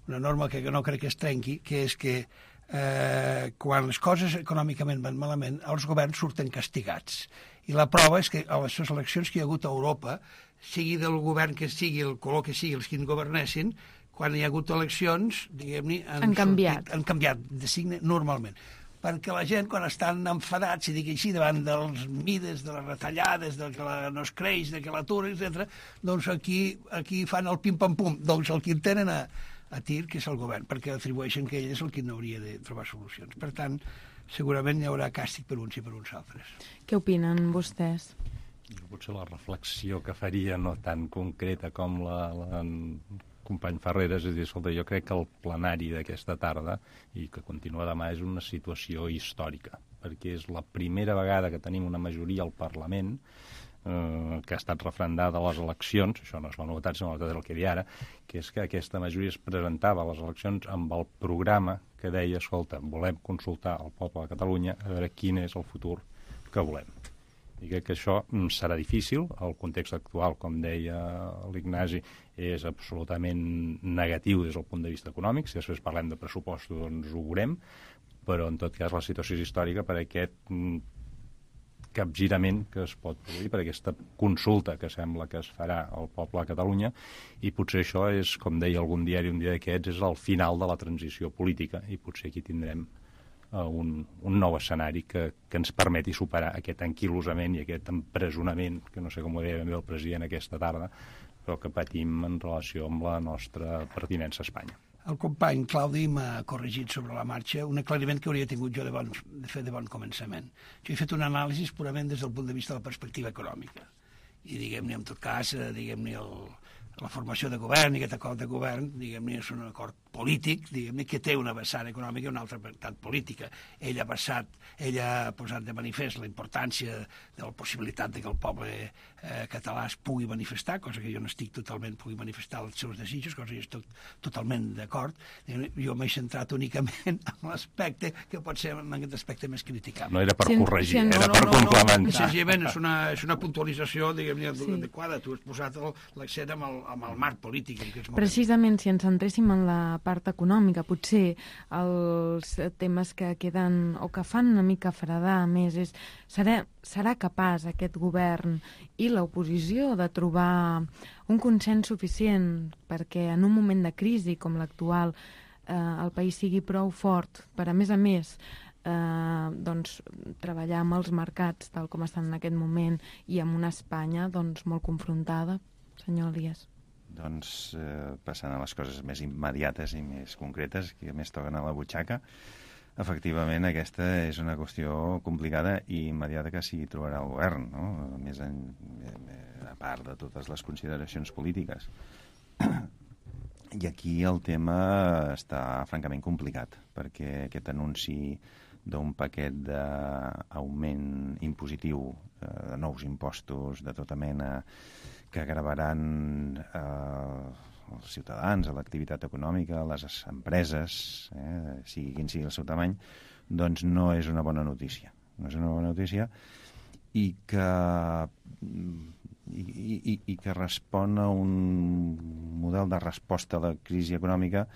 una norma que no crec que es trenqui, que és que eh, quan les coses econòmicament van malament, els governs surten castigats. I la prova és que a les eleccions que hi ha hagut a Europa, sigui del govern que sigui, el color que sigui, els que en governessin, quan hi ha hagut eleccions, diguem-ne, han, han canviat. Sortit, han canviat de signe normalment. perquè la gent, quan estan enfadats, si dic així, davant dels mides, de les retallades, de que la, no es creix, de que l'atur, etcètera, doncs aquí, aquí fan el pim-pam-pum. Doncs el que en tenen a, a tir, que és el govern, perquè atribueixen que ell és el que no hauria de trobar solucions. Per tant, segurament hi haurà càstig per uns i per uns altres. Què opinen vostès? Potser la reflexió que faria no tan concreta com la, la company Ferreres, és dir, escolta, jo crec que el plenari d'aquesta tarda, i que continua demà, és una situació històrica, perquè és la primera vegada que tenim una majoria al Parlament eh, que ha estat refrendada a les eleccions, això no és la novetat, sinó la novetat del que hi ara, que és que aquesta majoria es presentava a les eleccions amb el programa que deia, escolta, volem consultar al poble de Catalunya a veure quin és el futur que volem. I crec que això serà difícil. El context actual, com deia l'Ignasi, és absolutament negatiu des del punt de vista econòmic. Si després parlem de pressupostos, doncs ho veurem, però en tot cas la situació és històrica per aquest capgirament que es pot produir, per aquesta consulta que sembla que es farà al poble de Catalunya, i potser això és, com deia algun diari un dia d'aquests, és el final de la transició política, i potser aquí tindrem Un, un nou escenari que, que ens permeti superar aquest anquilosament i aquest empresonament, que no sé com ho deia ben bé el president aquesta tarda, però que patim en relació amb la nostra pertinença a Espanya. El company Claudi m'ha corregit sobre la marxa un aclariment que hauria tingut jo de, bon, de fer de bon començament. Jo he fet un anàlisi purament des del punt de vista de la perspectiva econòmica. I diguem-ne, en tot cas, diguem-ne, el, la formació de govern i aquest acord de govern, diguem-ne, és un acord polític, diguem-ne, que té una vessant econòmica i una altra vessant política. Ell ha, passat, ell ha posat de manifest la importància de la possibilitat de que el poble eh, català es pugui manifestar, cosa que jo no estic totalment, pugui manifestar els seus desitjos, cosa que jo estic totalment d'acord. Jo m'he centrat únicament en l'aspecte que pot ser en aquest aspecte més criticable. No era per sí, corregir, sí, era no, per no, complementar. No, senzillament és una, és una puntualització, diguem-ne, sí. adequada. Tu has posat l'accent amb, el, amb el marc polític. Que és molt Precisament, si ens centréssim en la part econòmica, potser els temes que queden o que fan una mica fredar més és serà, serà capaç aquest govern i l'oposició de trobar un consens suficient perquè en un moment de crisi com l'actual eh, el país sigui prou fort per, a més a més, eh, doncs, treballar amb els mercats tal com estan en aquest moment i amb una Espanya doncs, molt confrontada, senyor Elias? Doncs eh, passant a les coses més immediates i més concretes, que més toquen a la butxaca, efectivament aquesta és una qüestió complicada i immediata que s'hi trobarà el govern, no? Més en, a part de totes les consideracions polítiques. I aquí el tema està francament complicat, perquè aquest anunci d'un paquet d'augment impositiu, eh, de nous impostos de tota mena, que gravaran eh, els ciutadans, a l'activitat econòmica, a les empreses, eh, sigui quin sigui el seu tamany, doncs no és una bona notícia. No és una bona notícia i que, i, i, i que respon a un model de resposta a la crisi econòmica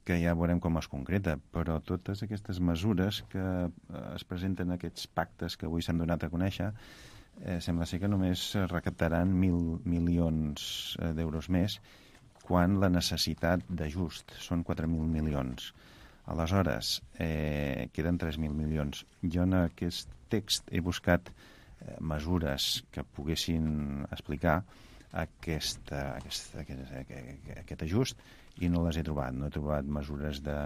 que ja veurem com es concreta, però totes aquestes mesures que es presenten en aquests pactes que avui s'han donat a conèixer Eh, sembla ser que només recaptaran mil milions d'euros més quan la necessitat d'ajust són quatre mil milions. Aleshores, eh, queden tres mil milions. Jo en aquest text he buscat eh, mesures que poguessin explicar aquesta, aquesta, aquest, aquest, aquest ajust i no les he trobat. No he trobat mesures de,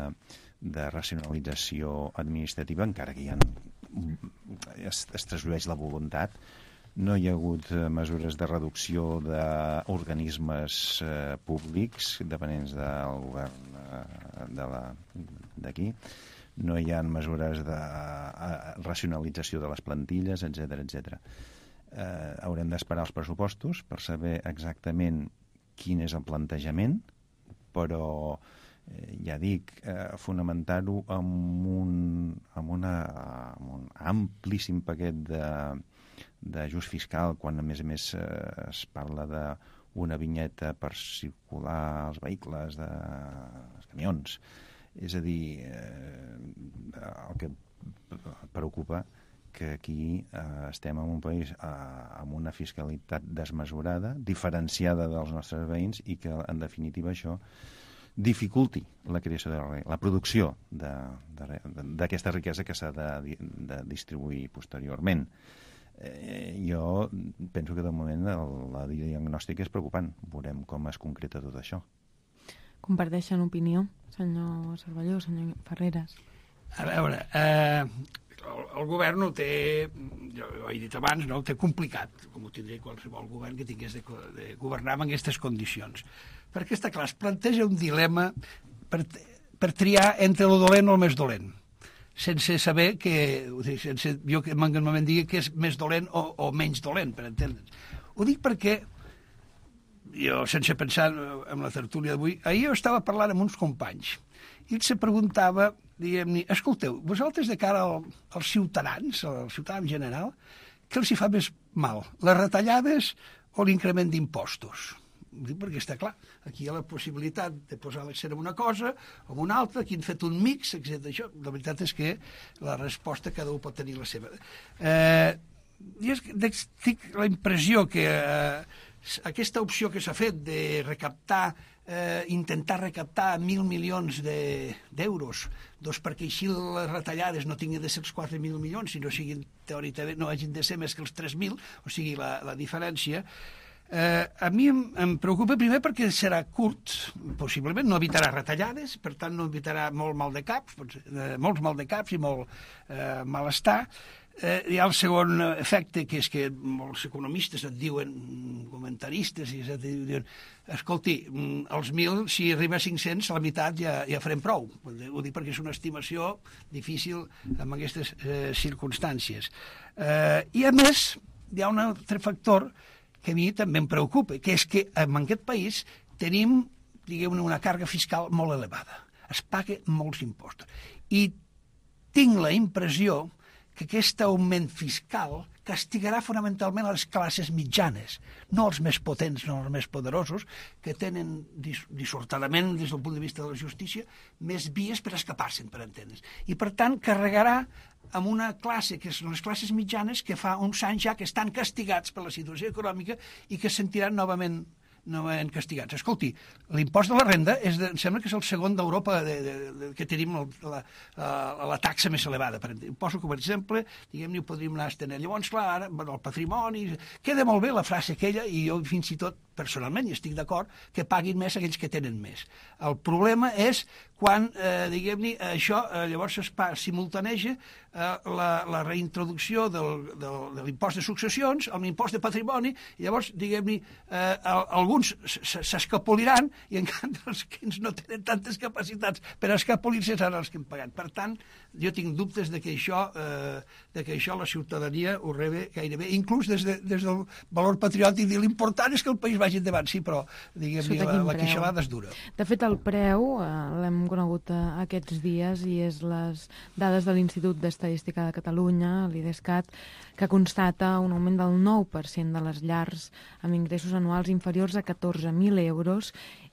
de racionalització administrativa, encara que hi ha, es, es trasllueix la voluntat. No hi ha hagut mesures de reducció d'organismes eh, públics dependents del govern eh, de la, d'aquí. No hi ha mesures de eh, racionalització de les plantilles, etcètera, etcètera. Eh, haurem d'esperar els pressupostos per saber exactament quin és el plantejament, però eh, ja dic, eh, fonamentar-ho amb un, amb, una, amb un amplíssim paquet de d'ajust fiscal, quan a més a més eh, es parla d'una vinyeta per circular els vehicles, de, els camions. És a dir, eh, el que preocupa que aquí eh, estem en un país eh, amb una fiscalitat desmesurada, diferenciada dels nostres veïns i que en definitiva això dificulti la creació de la, la producció d'aquesta riquesa que s'ha de, de distribuir posteriorment. Eh, jo penso que de moment el, la diagnòstica és preocupant. Veurem com es concreta tot això. Comparteixen opinió, senyor Cervelló, senyor Ferreres? A veure, eh, el, el govern ho té, jo ho he dit abans, no, ho té complicat, com ho tindria qualsevol govern que tingués de, de governar en aquestes condicions. Perquè està clar, es planteja un dilema per, per triar entre el dolent o el més dolent, sense saber que, sense jo que normalment digui que és més dolent o, o menys dolent, per entendre'ns. Ho dic perquè jo, sense pensar en la tertúlia d'avui, ahir jo estava parlant amb uns companys i ells se preguntava, diguem-ne, escolteu, vosaltres de cara al, als ciutadans, al ciutadà en general, què els hi fa més mal, les retallades o l'increment d'impostos? Ho dic perquè està clar, aquí hi ha la possibilitat de posar l'accent en una cosa o en una altra, aquí han fet un mix, etcètera. Això, la veritat és que la resposta cada un pot tenir la seva. Eh, jo tinc la impressió que eh, aquesta opció que s'ha fet de recaptar, eh, intentar recaptar mil milions d'euros, de, doncs perquè així les retallades no tinguin de ser els quatre mil milions, sinó siguin teòricament, no hagin de ser més que els tres mil, o sigui, la, la diferència. Eh, a mi em, em preocupa primer perquè serà curt, possiblement no evitarà retallades, per tant no evitarà molt mal de caps, eh, molts mal de caps i molt eh, malestar. Eh, hi ha el segon efecte, que és que molts economistes et diuen, comentaristes, i et diuen, escolti, els mil, si arriba a cinc-cents, a la meitat ja, ja farem prou. Ho dic perquè és una estimació difícil en aquestes eh, circumstàncies. Eh, I a més, hi ha un altre factor que a mi també em preocupa, que és que en aquest país tenim, diguem-ne, una càrrega fiscal molt elevada. Es paguen molts impostos. I tinc la impressió que aquest augment fiscal castigarà fonamentalment a les classes mitjanes, no els més potents, no els més poderosos, que tenen dis dissortadament, des del punt de vista de la justícia, més vies per escapar-se'n, per entendre's. I, per tant, carregarà amb una classe, que són les classes mitjanes, que fa uns anys ja que estan castigats per la situació econòmica i que es sentiran novament novament castigats. Escolti, l'impost de la renda és de, em sembla que és el segon d'Europa de, de, de, que tenim el, la, la, la taxa més elevada. Per poso com a exemple, diguem-ne, ho podríem anar a estendre. Llavors, clar, ara, bueno, el patrimoni... Queda molt bé la frase aquella, i jo fins i tot, personalment, i estic d'acord, que paguin més aquells que tenen més. El problema és quan, eh, diguem-ne, això eh, llavors es pa, simultaneja eh, la, la reintroducció del, del, de l'impost de successions, amb l'impost de patrimoni, i llavors, diguem-ne, eh, alguns s'escapoliran i en canvi els que no tenen tantes capacitats per escapolir-se seran els que han pagat. Per tant, jo tinc dubtes de que això, eh, de que això la ciutadania ho rebe gairebé, inclús des, de, des del valor patriòtic, i l'important és que el país vagi endavant, sí, però diguem-ne, la, la queixalada és dura. De fet, el preu eh, l'hem conegut eh, aquests dies i és les dades de l'Institut d'Estadística de Catalunya, l'IDESCAT, que constata un augment del nou per cent de les llars amb ingressos anuals inferiors a catorze mil euros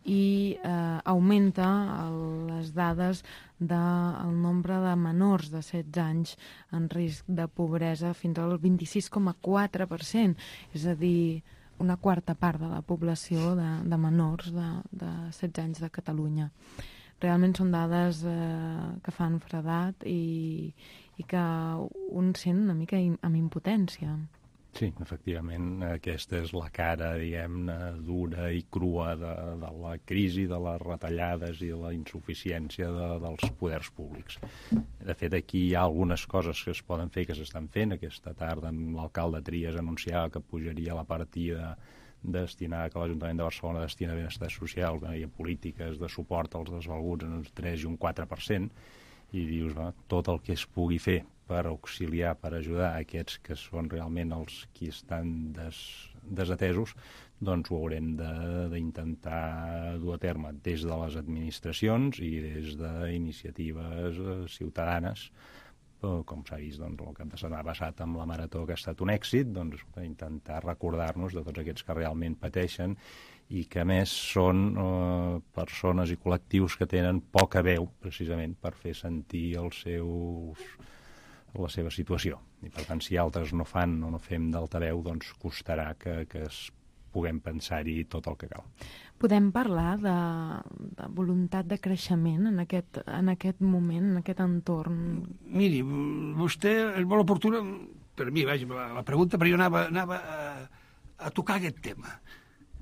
i eh, augmenta el, les dades del nombre de menors de setze anys en risc de pobresa fins al vint-i-sis coma quatre per cent, és a dir, una quarta part de la població de, de menors de, de setze anys de Catalunya. Realment són dades eh, que fan fredat i, i que un sent una mica amb impotència. Sí, efectivament, aquesta és la cara, diguem-ne, dura i crua de, de la crisi, de les retallades i de la insuficiència de, dels poders públics. De fet, aquí hi ha algunes coses que es poden fer, que s'estan fent. Aquesta tarda l'alcalde Trias anunciava que pujaria la partida destinada, que l'Ajuntament de Barcelona destina a benestar social i a polítiques de suport als desvalguts en un tres i un quatre per cent, i dius, va, tot el que es pugui fer per auxiliar, per ajudar aquests que són realment els qui estan des, desatesos, doncs ho haurem d'intentar dur a terme des de les administracions i des d'iniciatives ciutadanes. Però, com s'ha vist, doncs, el cap de setmana passat amb la Marató, que ha estat un èxit, doncs, intentar recordar-nos de tots aquests que realment pateixen i que, a més, són eh, persones i col·lectius que tenen poca veu, precisament, per fer sentir els seus, la seva situació. I, per tant, si altres no fan o no fem d'altaveu, doncs costarà que, que es puguem pensar-hi tot el que cal. Podem parlar de, de voluntat de creixement en aquest, en aquest moment, en aquest entorn? Miri, vostè és molt oportuna, per mi, vaja, la, la pregunta, però jo anava, anava a, a tocar aquest tema.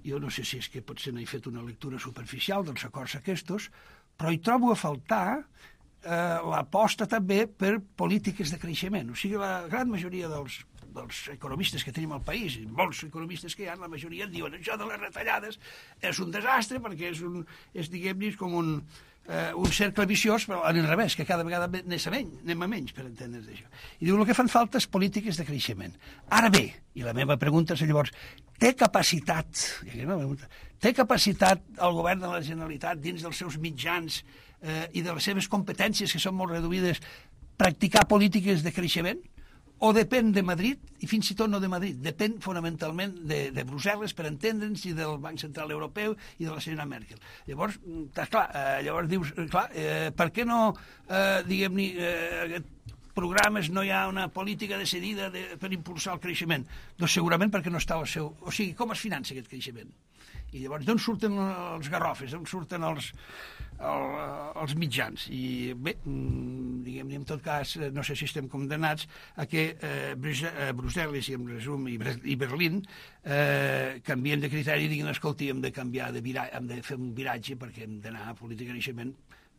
Jo no sé si és que potser no he fet una lectura superficial dels acords aquests, però hi trobo a faltar eh, l'aposta també per polítiques de creixement. O sigui, la gran majoria dels dels economistes que tenim al país, i molts economistes que hi ha, la majoria diuen això de les retallades és un desastre perquè és, un, és diguem-ne, com un, eh, un cercle viciós, però en el revés, que cada vegada anem a menys, anem a menys per entendre's d'això. I diu, el que fan falta és polítiques de creixement. Ara bé, i la meva pregunta és llavors, té capacitat, té capacitat el govern de la Generalitat dins dels seus mitjans eh, i de les seves competències, que són molt reduïdes, practicar polítiques de creixement? O depèn de Madrid, i fins i tot no de Madrid, depèn fonamentalment de, de Brussel·les, per entendre'ns, i del Banc Central Europeu i de la senyora Merkel. Llavors, està clar, eh, llavors dius, clar, eh, per què no, eh, diguem-ne, eh, programes no hi ha una política decidida de, per impulsar el creixement? Doncs segurament perquè no està al seu... O sigui, com es finança aquest creixement? I llavors, d'on surten els garrofes, d'on surten els, el, els mitjans? I bé, diguem-ne, en tot cas, no sé si estem condemnats a que eh, Brussel·les, i en resum, i, i Berlín, eh, canvien de criteri i diguin, escolti, hem de canviar de viratge, hem de fer un viratge perquè hem d'anar a política de creixement,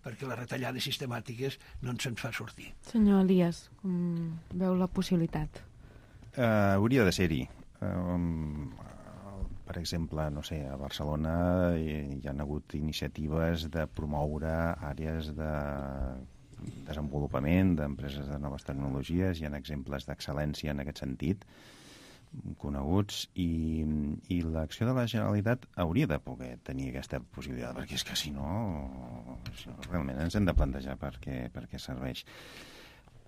perquè les retallades sistemàtiques no ens en fa sortir. Senyor Elias, com veu la possibilitat? Uh, hauria de ser-hi. Uh, per exemple, no sé, a Barcelona hi, hi ha hagut iniciatives de promoure àrees de desenvolupament d'empreses de noves tecnologies, hi ha exemples d'excel·lència en aquest sentit coneguts, i, i l'acció de la Generalitat hauria de poder tenir aquesta possibilitat, perquè és que si no, si no realment ens hem de plantejar per què, per què serveix.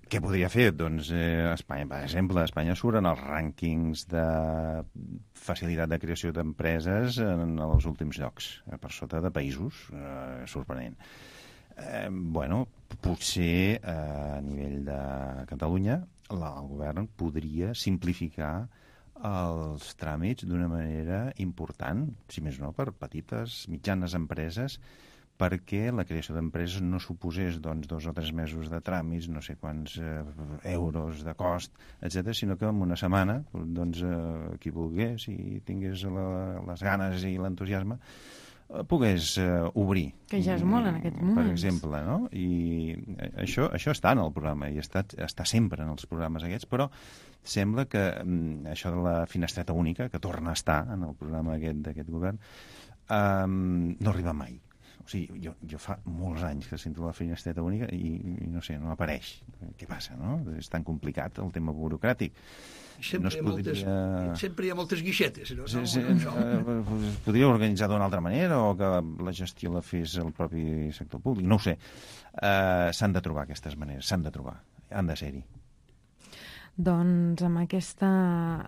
Què podria fer? Doncs eh, Espanya, per exemple, Espanya surt en els rànquings de facilitat de creació d'empreses en els últims llocs, eh, per sota de països, eh, sorprenent. Eh, bueno, potser eh, a nivell de Catalunya la, el govern podria simplificar els tràmits d'una manera important, si més no, per petites, mitjanes empreses, perquè la creació d'empreses no suposés doncs, dos o tres mesos de tràmits, no sé quants eh, euros de cost, etcètera, sinó que en una setmana, doncs, eh, qui volgués i tingués la, les ganes i l'entusiasme, eh, pogués eh, obrir. Que ja és molt en aquests moments. Per exemple, no? I això, això està en el programa, i està, està sempre en els programes aquests, però sembla que mm, això de la finestreta única, que torna a estar en el programa aquest d'aquest govern, eh, no arriba mai. O sigui, jo, jo fa molts anys que sento la finestreta única i, i no sé, no apareix. Què passa, no? És tan complicat el tema burocràtic. Sempre, no es podria... hi ha moltes, sempre hi ha moltes guixetes. No? Sí, sí, no, no, es podria organitzar d'una altra manera, o que la gestió la fes el propi sector públic. No ho sé. Uh, s'han de trobar aquestes maneres, s'han de trobar. Han de ser-hi. Doncs amb aquesta,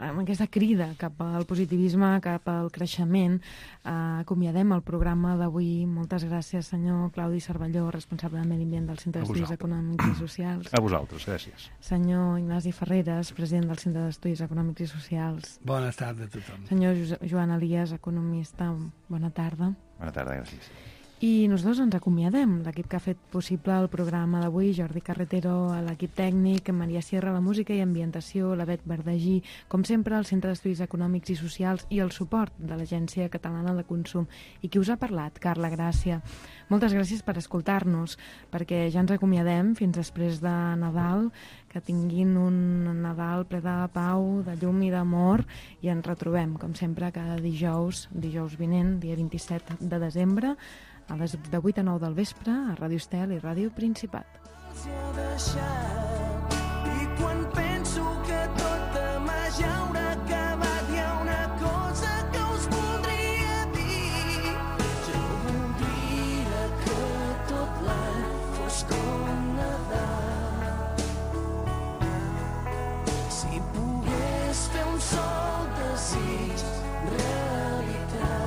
amb aquesta crida cap al positivisme, cap al creixement, eh, acomiadem el programa d'avui. Moltes gràcies, senyor Claudi Cervelló, responsable de Medi Ambient del Centre d'Estudis Econòmics i Socials. A vosaltres, gràcies. Senyor Ignasi Ferreres, president del Centre d'Estudis Econòmics i Socials. Bona tarda a tothom. Senyor Joan Elias, economista, bona tarda. Bona tarda, gràcies. I nosaltres ens acomiadem, l'equip que ha fet possible el programa d'avui, Jordi Carretero, l'equip tècnic, Maria Sierra, la música i ambientació, la Bet Verdagí, com sempre, el Centre d'Estudis Econòmics i Socials i el suport de l'Agència Catalana de Consum. I qui us ha parlat? Carla Gràcia. Moltes gràcies per escoltar-nos, perquè ja ens acomiadem fins després de Nadal, que tinguin un Nadal ple de pau, de llum i d'amor, i ens retrobem, com sempre, cada dijous, dijous vinent, dia vint-i-set de desembre, a les de vuit a nou del vespre, a Ràdio Estel i Ràdio Principat. I quan penso que tot demà ja haurà acabat, hi ha una cosa que us voldria dir. Jo voldria que tot l'any fos com Nadal. Si pogués fer un sol desig realitat.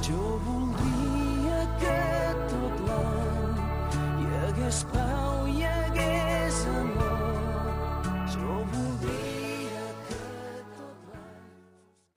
Jo voldria que tot l'any hi hagués pau.